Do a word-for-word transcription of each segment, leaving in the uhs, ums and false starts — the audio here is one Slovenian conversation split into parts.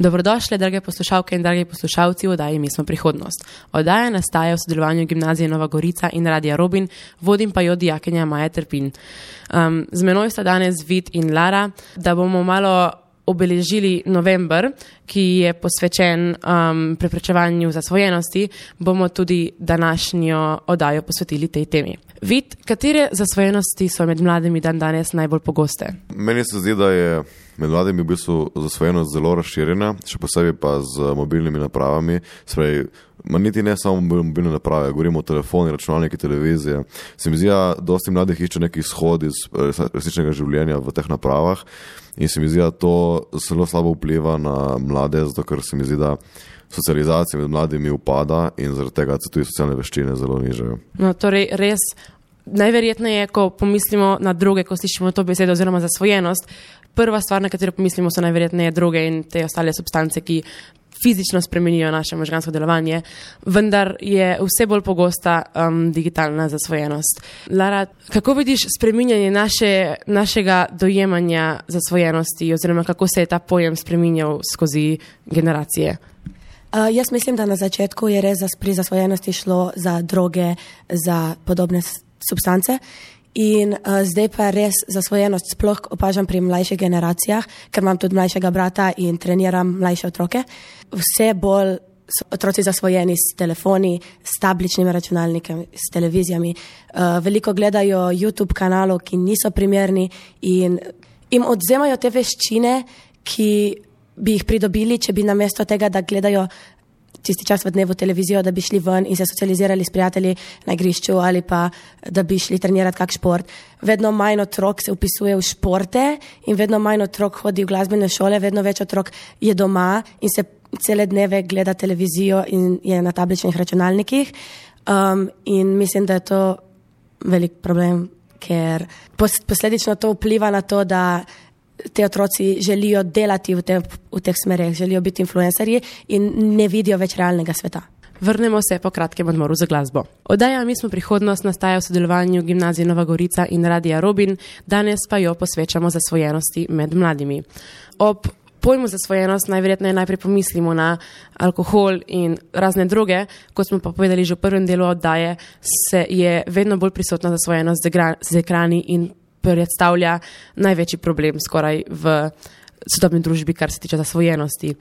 Dobrodošli, drage poslušalke in dragi poslušalci v oddaji Mi smo prihodnost. Oddaja nastaja v sodelovanju Gimnazije Nova Gorica in Radia Robin, vodim pa jo dijakinja Maja Trpin. Um, z menoj sta danes Vid in Lara, da bomo malo obeležili november, ki je posvečen um, preprečevanju zasvojenosti, bomo tudi današnjo oddajo posvetili tej temi. Vid, katere zasvojenosti so med mladimi dan danes najbolj pogoste? Meni se zdi, da je med mladimi v bistvu zasvojenost zelo razširjena, še posebej pa z mobilnimi napravami. Sprej, ma niti ne samo mobilne naprave, govorimo o telefoni, računalniki, televizije. Se mi zdi, da dosti mladih išče neki izhod iz resničnega življenja v teh napravah in se mi zdi, da to zelo slabo vpliva na mlade, zato ker se mi zdi, da socializacija med mladimi upada in zaradi tega se tudi socialne veščine zelo nižajo. No, torej res najverjetneje, ko pomislimo na droge, ko slišimo to besedo oziroma zasvojenost, prva stvar, na katero pomislimo, so najverjetneje droge in te ostale substance, ki fizično spremenijo naše možgansko delovanje, vendar je vse bolj pogosta um, digitalna zasvojenost. Lara, kako vidiš spreminjanje naše, našega dojemanja zasvojenosti oziroma kako se je ta pojem spreminjal skozi generacije? Uh, jaz mislim, da na začetku je res pri zasvojenosti šlo za droge, za podobne substance in uh, zdaj pa res zasvojenost sploh opažam pri mlajših generacijah, ker imam tudi mlajšega brata in treniram mlajše otroke. Vse bolj so otroci zasvojeni s telefoni, s tabličnimi računalniki, s televizijami. Uh, veliko gledajo YouTube kanalov, ki niso primerni in jim odzemajo te veščine, ki bi jih pridobili, če bi namesto tega, da gledajo tisti čas v dnevu televizijo, da bi šli ven in se socializirali s prijatelji na igrišču ali pa da bi šli trenirati kak šport. Vedno manj otrok se upisuje v športe in vedno manj otrok hodi v glasbene šole, vedno več otrok je doma in se cele dneve gleda televizijo in je na tabličnih računalnikih. Um, in mislim, da je to velik problem, ker posledično to vpliva na to, da te otroci želijo delati v, te, v teh smereh, želijo biti influencerji in ne vidijo več realnega sveta. Vrnemo se po kratkem odmoru za glasbo. Oddaja Mi smo prihodnost nastaja v sodelovanju Gimnazije Nova Gorica in Radia Robin, danes pa jo posvečamo zasvojenosti med mladimi. Ob pojmu zasvojenost najverjetneje najprej pomislimo na alkohol in razne droge, kot smo pa povedali že v prvem delu oddaje, se je vedno bolj prisotna zasvojenost z ekrani in predstavlja največji problem skoraj v sodobni družbi, kar se tiče zasvojenosti.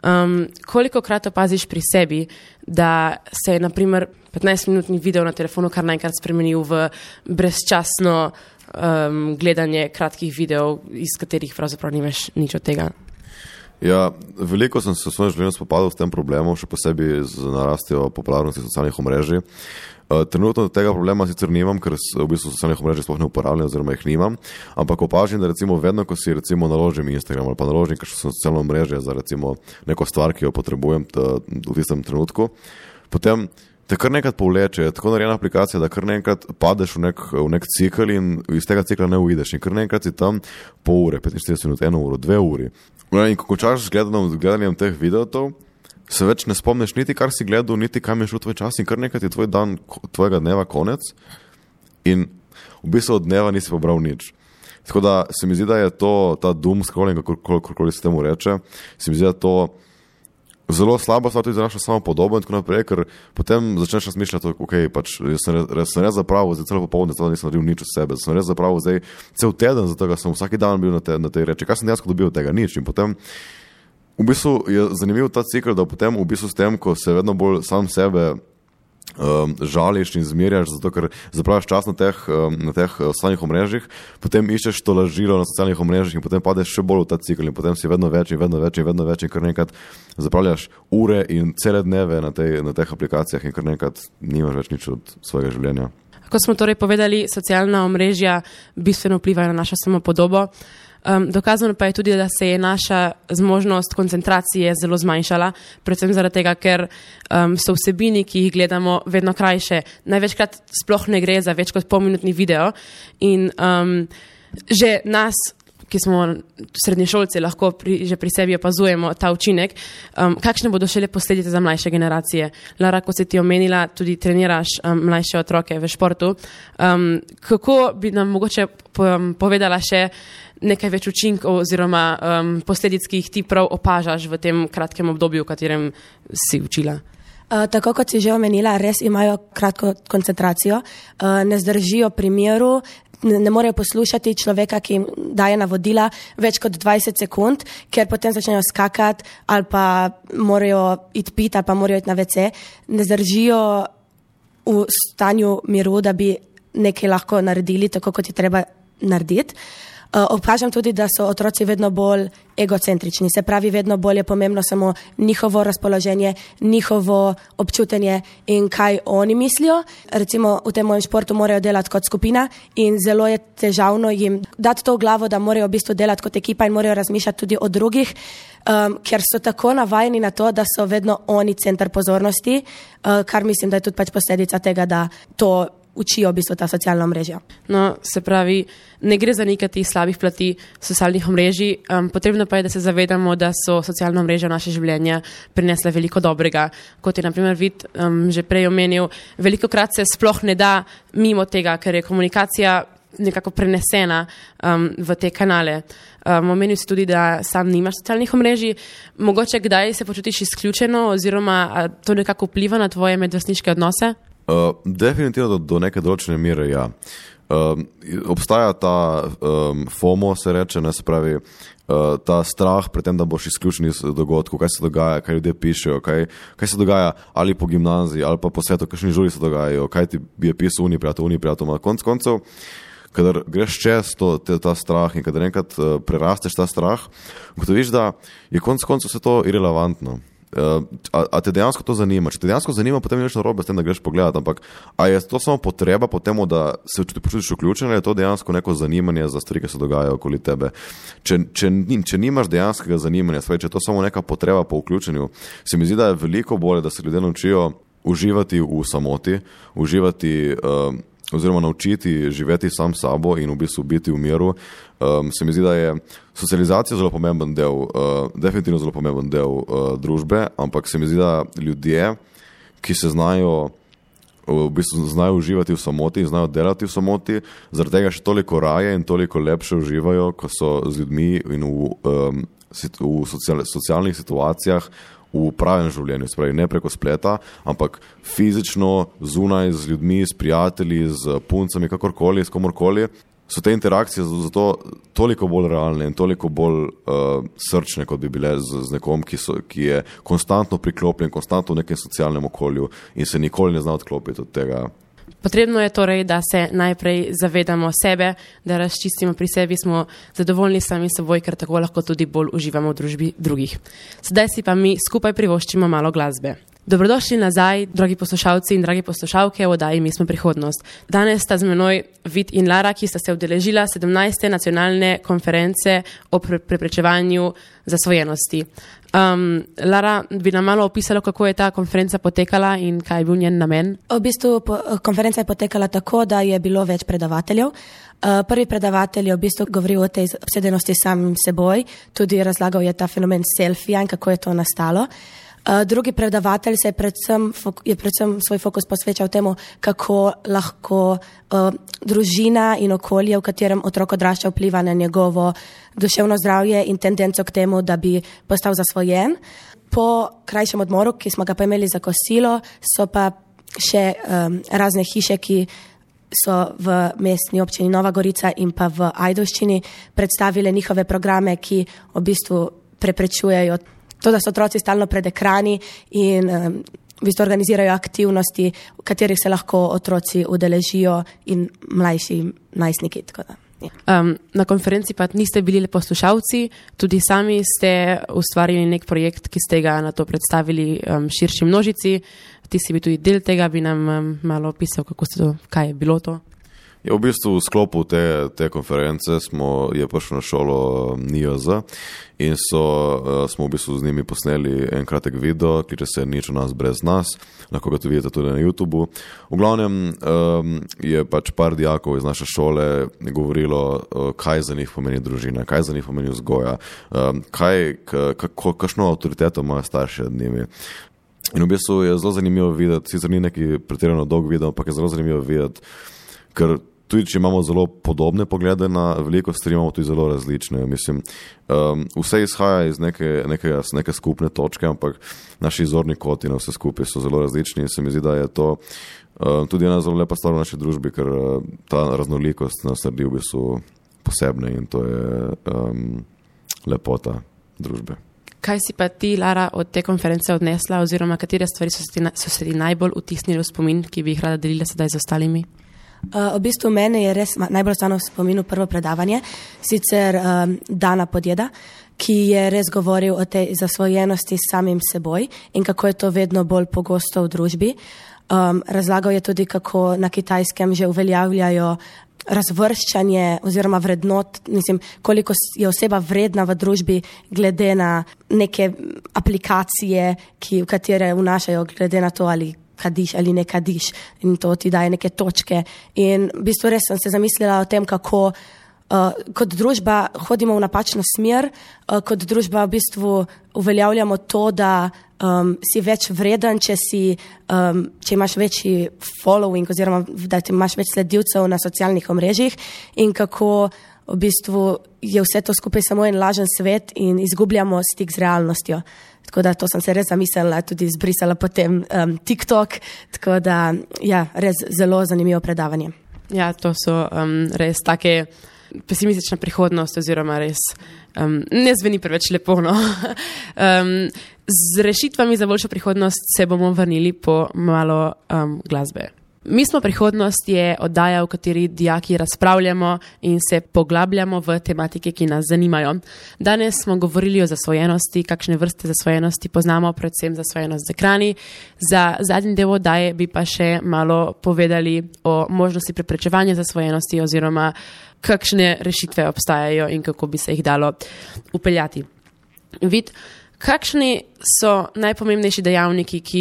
Um, koliko krat opaziš pri sebi, da se je naprimer petnajstminutni video na telefonu kar naenkrat spremenil v brezčasno um, gledanje kratkih videov, iz katerih pravzaprav nimaš nič od tega? Ja, veliko sem se v svojem življenju spopadal s tem problemom, še posebej z narastjo popularnosti socialnih omrežij. Trenutno tega problema sicer nimam, ker v bistvu socialnih omrežij sploh ne uporabljam oziroma jih nimam, ampak opažam, da recimo vedno, ko si recimo naložim Instagram ali pa naložim kakšno socialno omrežje za recimo neko stvar, ki jo potrebujem v tistem trenutku, potem te kar nekrat povleče, je tako narejena aplikacija, da kar nekrat padeš v nek, v nek cikl in iz tega cikla ne uideš in kar nekrat si tam pol ure, petinštirideset minut, eno uro, dve uri. In ko končaš z gledanjem, gledanjem teh videotov, se več ne spomniš niti kar si gledal, niti kam je šel tvoj čas in kar nekaj je tvoj dan, tvojega dneva konec in v bistvu od dneva nisi pobral nič. Tako da se mi zdi, da je to, ta doom scrolling, kakorkoli se temu reče, se mi zdi, da to zelo slabo stvar tudi za našo samo podobo in tako naprej, ker potem začneš razmišljati, ok, pač jaz sem res, sem res zapravo, zdaj celo popoldne zdaj nisem naredil nič od sebe, sem res zapravo zdaj cel teden, zato sem vsaki dan bil na, te, na tej reči, kaj sem dejansko dobil od tega, nič in potem v bistvu je zanimiv ta cikl, da potem v bistvu s tem, ko se vedno bolj sam sebe um, žališ in zmerjaš, zato ker zapraviš čas na teh, um, na teh socialnih omrežjih, potem iščeš to lažilo na socialnih omrežjih in potem padeš še bolj v ta cikl in potem si vedno več in vedno več in vedno več in kar nekrat zapravljaš ure in cele dneve na, tej, na teh aplikacijah in kar nekrat nimaš več nič od svojega življenja. Kot smo torej povedali, socialna omrežja bistveno vplivajo na našo samopodobo. Um, dokazano pa je tudi, da se je naša zmožnost koncentracije zelo zmanjšala, predvsem zaradi tega, ker um, so vsebini, ki jih gledamo, vedno krajše. Največkrat sploh ne gre za več kot polminutni video in um, že nas, ki smo srednješolci, lahko pri, že pri sebi opazujemo ta učinek, um, kakšne bodo šele posledice za mlajše generacije. Lara, ko si ti omenila, tudi treniraš um, mlajše otroke v športu. Um, kako bi nam mogoče povedala še nekaj več učinkov oziroma um, posledic, ki jih ti prav opažaš v tem kratkem obdobju, v katerem si učila? Uh, tako kot si že omenila, res imajo kratko koncentracijo, uh, ne zdržijo pri miru, ne, ne morejo poslušati človeka, ki jim daje navodila več kot dvajset sekund, ker potem začnejo skakati ali pa morajo iti pit ali pa morajo iti na ve ce. Ne zdržijo v stanju miru, da bi nekaj lahko naredili, tako kot je treba narediti. Uh, opažam tudi, da so otroci vedno bolj egocentrični, se pravi, vedno bolj je pomembno samo njihovo razpoloženje, njihovo občutenje in kaj oni mislijo. Recimo v tem mojem športu morajo delati kot skupina in zelo je težavno jim dati to v glavo, da morajo v bistvu delati kot ekipa in morajo razmišljati tudi o drugih, um, ker so tako navajeni na to, da so vedno oni center pozornosti, uh, kar mislim, da je tudi pač posledica tega, da to učijo v bistvu ta socialna omrežja. No, se pravi, ne gre za nekaj slabih plati socialnih omrežij, um, potrebno pa je, da se zavedamo, da so socialna omrežja v naše življenja prinesla veliko dobrega. Kot je na primer Vid um, že prej omenil, velikokrat se sploh ne da mimo tega, ker je komunikacija nekako prenesena um, v te kanale. Um, omenil si tudi, da sam nimaš socialnih omrežij. Mogoče kdaj se počutiš izključeno oziroma to nekako vpliva na tvoje medvrstniške odnose? Uh, definitivno do, do neke določene mere, ja. Uh, obstaja ta um, FOMO, se reče, ne, se pravi, uh, ta strah pred tem, da boš izključen iz dogodkov, kaj se dogaja, kaj ljudje pišejo, kaj, kaj se dogaja ali po gimnaziji, ali pa po svetu, kakšni žuri se dogajajo, kaj ti je pisal uni prijatelj, uni prijatelj, na konc koncev, kadar greš čez to, te, ta strah in kadar enkrat uh, prerasteš ta strah, ugotoviš, da je konc koncev vse to irelevantno. Uh, a, a te dejansko to zanima? Če te dejansko zanima, potem je več narobe s tem, da greš pogledati, ampak a je to samo potreba po temu, da se počutiš vključen, ali je to dejansko neko zanimanje za stvari, ki se dogajajo okoli tebe? Če, če, če nimaš dejanskega zanimanja, stvari, če je to samo neka potreba po vključenju, se mi zdi, da je veliko bolje, da se ljudje naučijo uživati v samoti, uživati uh, oziroma naučiti živeti sam sabo in v bistvu biti v miru. Um, se mi zdi, da je socializacija zelo pomemben del, uh, definitivno zelo pomemben del uh, družbe, ampak se mi zdi, da ljudje, ki se znajo, v bistvu znajo uživati v samoti in znajo delati v samoti, zaradi tega še toliko raje in toliko lepše uživajo, ko so z ljudmi in v, um, v social, socialnih situacijah, v pravem življenju, spravi, ne preko spleta, ampak fizično, zunaj, z ljudmi, s prijatelji, z puncami, kakorkoli, s komorkoli, so te interakcije zato toliko bolj realne in toliko bolj uh, srčne, kot bi bile z, z nekom, ki, so, ki je konstantno priklopljen, konstantno v nekem socialnem okolju in se nikoli ne zna odklopiti od tega. Potrebno je torej, da se najprej zavedamo sebe, da razčistimo pri sebi, smo zadovoljni sami seboj, ker tako lahko tudi bolj uživamo v družbi drugih. Sedaj si pa mi skupaj privoščimo malo glasbe. Dobrodošli nazaj, dragi poslušalci in dragi poslušalke, v oddaji Mi smo prihodnost. Danes sta z menoj Vid in Lara, ki sta se udeležila sedemnajste nacionalne konference o pre preprečevanju zasvojenosti. Um, Lara, bi nam malo opisala, kako je ta konferenca potekala in kaj je bil njen namen? V bistvu po, konferenca je potekala tako, da je bilo več predavateljev. Uh, prvi predavatelj je v bistvu govoril o tej obsedenosti samim seboj, tudi razlagal je ta fenomen selfija in kako je to nastalo. Uh, drugi predavatelj se je predvsem, je predvsem svoj fokus posvečal temu, kako lahko uh, družina in okolje, v katerem otrok odrašča, vpliva na njegovo duševno zdravje in tendenco k temu, da bi postal zasvojen. Po krajšem odmoru, ki smo ga pa imeli za kosilo, so pa še um, razne hiše, ki so v mestni občini Nova Gorica in pa v Ajdovščini predstavile njihove programe, ki v bistvu preprečujejo to, da so otroci stalno pred ekrani in um, v bistvu organizirajo aktivnosti, v katerih se lahko otroci udeležijo in mlajši najstniki. Tako da, ja. um, na konferenci pa niste bili le poslušalci, tudi sami ste ustvarili nek projekt, ki ste ga na to predstavili um, širši množici. Ti si bil tudi del tega, bi nam um, malo opisal, kako ste to, kaj je bilo to? Je v bistvu v sklopu te, te konference smo, je prišel na šolo N I O Z in so, smo v bistvu z njimi posneli en kratek video, kliče se Nič o nas brez nas, lahko ga tudi vidite tudi na YouTubeu. V glavnem um, je pač par dijakov iz naše šole govorilo, kaj za njih pomeni družina, kaj za njih pomeni vzgoja, um, kaj, kako, kakšno avtoriteto imajo starši nad njimi. In v bistvu je zelo zanimivo videti, sicer ni neki pretirano dolg video, ampak je zelo zanimivo videti, ker tudi, če imamo zelo podobne poglede na veliko stvari, imamo tudi zelo različne. Mislim, um, vse izhaja iz neke, neke, neke skupne točke, ampak naši izorni koti na vse skupaj so zelo različni in se mi zdi, da je to um, tudi ena zelo lepa stvar v naši družbi, ker uh, ta raznolikost nas naredi v bistvu posebne in to je um, lepota družbe. Kaj si pa ti, Lara, od te konference odnesla oziroma katere stvari so se ti, so se ti najbolj vtisnili v spomin, ki bi jih rada delila sedaj z ostalimi? Uh, v bistvu mene je res najbolj ostalo v spominu prvo predavanje, sicer um, Dana Podjeda, ki je res govoril o tej zasvojenosti s samim seboj in kako je to vedno bolj pogosto v družbi. Um, razlagal je tudi, kako na Kitajskem že uveljavljajo razvrščanje oziroma vrednot, mislim, koliko je oseba vredna v družbi glede na neke aplikacije, ki, v katere vnašajo glede na to, ali kadiš ali ne kadiš in to ti daje neke točke. In v bistvu res sem se zamislila o tem, kako uh, kot družba hodimo v napačno smer, uh, kot družba v bistvu uveljavljamo to, da um, si več vreden, če, si, um, če imaš večji following oziroma da ti imaš več sledilcev na socialnih omrežjih in kako v bistvu je vse to skupaj samo en lažen svet in izgubljamo stik z realnostjo. Tako da to sem se res zamislila, tudi izbrisala potem um, TikTok, tako da ja, res zelo zanimivo predavanje. Ja, to so um, res take pesimistična prihodnost oziroma res um, ne zveni preveč lepo. No? um, z rešitvami za boljšo prihodnost se bomo vrnili po malo um, glasbe. Mi smo prihodnost je oddaja, v kateri dijaki razpravljamo in se poglabljamo v tematike, ki nas zanimajo. Danes smo govorili o zasvojenosti, kakšne vrste zasvojenosti poznamo, predvsem zasvojenost z ekrani. Za zadnji del oddaje bi pa še malo povedali o možnosti preprečevanja zasvojenosti oziroma kakšne rešitve obstajajo in kako bi se jih dalo upeljati. Vid, kakšni so najpomembnejši dejavniki, ki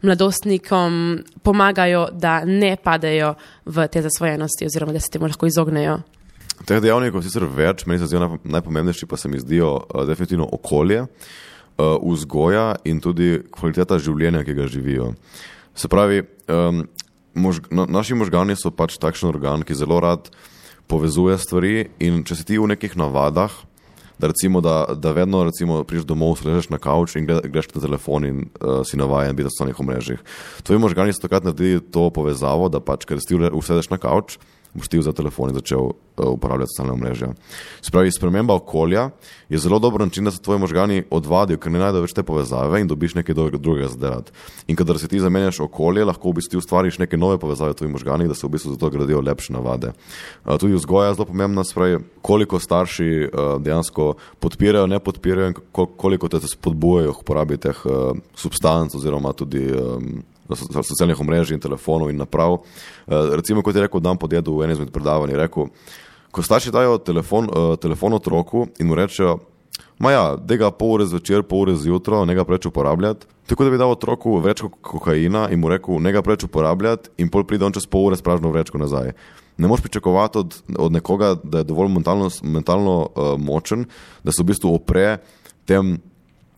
mladostnikom pomagajo, da ne padejo v te zasvojenosti oziroma da se temu lahko izognejo? Teh dejavnikov sicer več, meni se zdijo najpomembnejši pa se mi zdijo uh, definitivno okolje, uh, vzgoja in tudi kvaliteta življenja, ki ga živijo. Se pravi, um, mož, na, naši možgani so pač takšen organ, ki zelo rad povezuje stvari in če si ti v nekih navadah, da recimo, da, da vedno recimo prideš domov, se ležeš na kavč in greš na telefon in uh, si navajen biti na socialnih omrežjih. Tvoji možgani so takrat naredili to povezavo, da pač, ker si ti usedeš na kavč, boš ti vzel telefon in začel uh, uporabljati socialne omrežja. Spravi, sprememba okolja je zelo dober način, da se tvoji možgani odvadijo, ker ne najdejo več te povezave in dobiš nekaj drugega za delati. In kadar se ti zamenjaš okolje, lahko v bistvu ustvariš neke nove povezave v tvojih možganih, da se v bistvu zato gradijo lepše navade. Uh, tudi vzgoja je zelo pomembna, spravi, koliko starši uh, dejansko podpirajo, ne podpirajo in koliko te spodbujajo k uporabi teh uh, substanc oziroma tudi um, socialnih omrežij in telefonov in naprav. Uh, recimo, kot je rekel Dan Podjed v enem izmed predavanj, je rekel, ko starši dajo telefon, uh, telefon otroku in mu rečejo, ma ja, daj ga pol ure zvečer, pol ure zjutro, ne ga preč uporabljati, tako da bi dal otroku vrečko kokaina in mu rekel, ne ga preč uporabljati in pol pride on čez pol ure s pražno vrečko nazaj. Ne moš pričakovati od, od nekoga, da je dovolj mentalno, mentalno uh, močen, da se v bistvu opre tem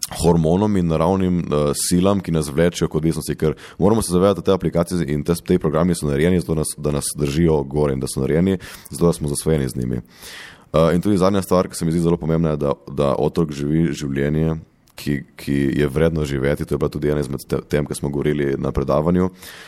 hormonom in naravnim uh, silam, ki nas vlečejo k odvisnosti, ker moramo se zavedati, da te aplikacije in te, te programi so narejeni, zato nas, da nas držijo gore in da so narejeni, zato da smo zasvojeni z njimi. Uh, in tudi zadnja stvar, ki se mi zdi zelo pomembna, je, da, da otrok živi življenje, ki, ki je vredno živeti, to je bila tudi ena izmed tem, ki smo govorili na predavanju.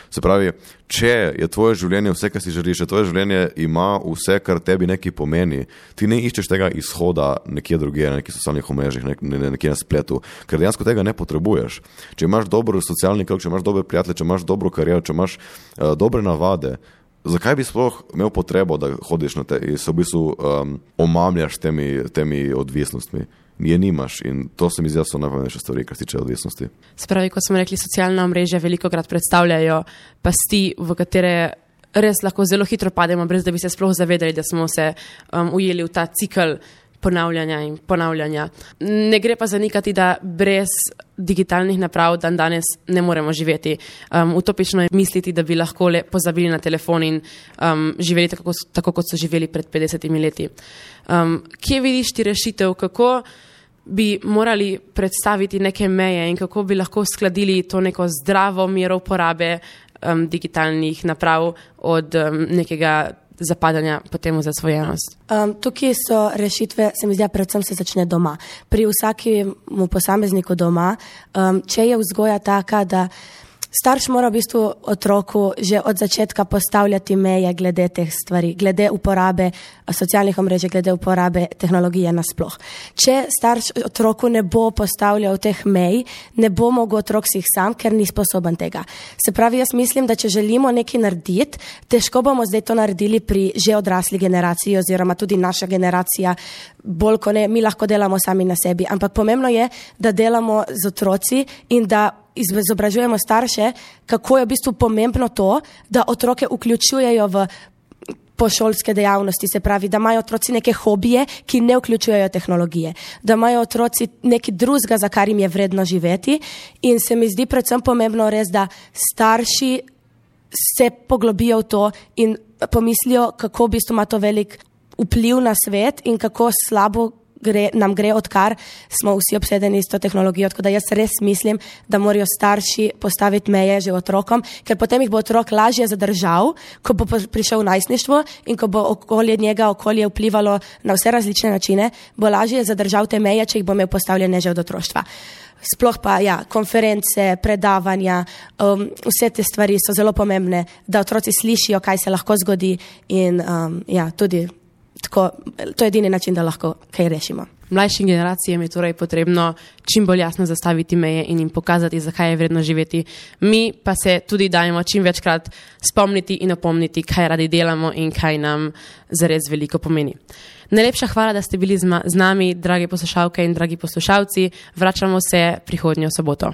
Se pravi, če je tvoje življenje vse, kar si želiš, če tvoje življenje ima vse, kar tebi nekaj pomeni, ti ne iščeš tega izhoda nekje drugje, na nekih socialnih omrežjih, nek, ne, nekje na spletu, ker dejansko tega ne potrebuješ. Če imaš dober socialni krog, če imaš dobre prijatelje, če imaš dobro kariero, če imaš uh, dobre navade, zakaj bi sploh imel potrebo, da hodiš na te in se v bistvu um, omamljaš temi, temi odvisnostmi? Je nimaš in to se mi zdi, da so najpomembnejše stvari, kar se tiče odvisnosti. Spravi, kot smo rekli, socialna omrežja velikokrat predstavljajo pasti, v katere res lahko zelo hitro pademo, brez da bi se sploh zavedali, da smo se um, ujeli v ta cikl ponavljanja in ponavljanja. Ne gre pa zanikati, da brez digitalnih naprav dan danes ne moremo živeti. Um, utopično je misliti, da bi lahko le pozabili na telefon in um, živeli tako, tako, kot so živeli pred petdesetimi leti. Um, kje vidiš ti rešitev, kako bi morali predstaviti neke meje in kako bi lahko skladili to neko zdravo mero uporabe um, digitalnih naprav od um, nekega zapadanja potem v zasvojenost? Um, tukaj so rešitve, se mi zdi, predvsem se začne doma. Pri vsakemu posamezniku doma, um, če je vzgoja taka, da starš mora v bistvu otroku že od začetka postavljati meje glede teh stvari, glede uporabe socialnih omrežij, glede uporabe tehnologije nasploh. Če starš otroku ne bo postavljal teh mej, ne bo mogel otrok si jih sam, ker ni sposoben tega. Se pravi, jaz mislim, da če želimo nekaj narediti, težko bomo zdaj to naredili pri že odrasli generaciji oziroma tudi naša generacija, bolj ko ne, mi lahko delamo sami na sebi, ampak pomembno je, da delamo z otroci in da izobražujemo starše, kako je v bistvu pomembno to, da otroke vključujejo v pošolske dejavnosti, se pravi, da imajo otroci neke hobije, ki ne vključujejo tehnologije, da imajo otroci nekaj drugega, za kar jim je vredno živeti in se mi zdi predvsem pomembno res, da starši se poglobijo v to in pomislijo, kako v bistvu ima to velik vpliv na svet in kako slabo Gre, nam gre, odkar smo vsi obsedeni s to tehnologijo, tako da jaz res mislim, da morajo starši postaviti meje že otrokom, ker potem jih bo otrok lažje zadržal, ko bo prišel v najstništvo in ko bo okolje njega okolje vplivalo na vse različne načine, bo lažje zadržal te meje, če jih bo imel postavljene že od otroštva. Sploh pa, ja, konference, predavanja, um, vse te stvari so zelo pomembne, da otroci slišijo, kaj se lahko zgodi in um, ja, tudi tako, to je edini način, da lahko kaj rešimo. Mlajšim generacijam je torej potrebno čim bolj jasno zastaviti meje in jim pokazati, zakaj je vredno živeti. Mi pa se tudi dajemo čim večkrat spomniti in opomniti, kaj radi delamo in kaj nam zares veliko pomeni. Najlepša hvala, da ste bili z nami, dragi poslušalke in dragi poslušalci. Vračamo se prihodnjo soboto.